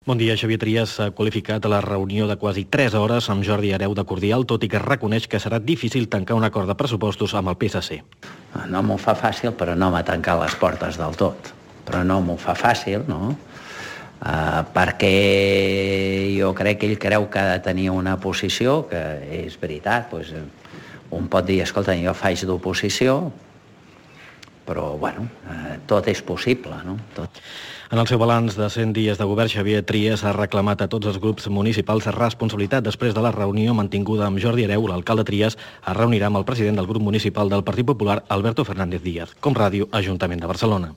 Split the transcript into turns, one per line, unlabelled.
Bon dia. Xavier Trias s'ha qualificat a la reunió de quasi 3 hores amb Jordi Hereu de Cordial, tot i que reconeix que serà difícil tancar un acord de pressupostos amb el PSC.
No m'ho fa fàcil, però no m'ha tancat les portes del tot. Però no m'ho fa fàcil, no? Perquè jo crec que ell creu que ha de tenir una posició, que és veritat, doncs, un pot dir, escolta, jo faig d'oposició, però, bueno, tot és possible, no? Tot.
En el seu balanç de 100 dies de govern, Xavier Trias ha reclamat a tots els grups municipals responsabilitat. Després de la reunió mantinguda amb Jordi Hereu, l'alcalde Trias es reunirà amb el president del grup municipal del Partit Popular, Alberto Fernández Díaz. Com ràdio, Ajuntament de Barcelona.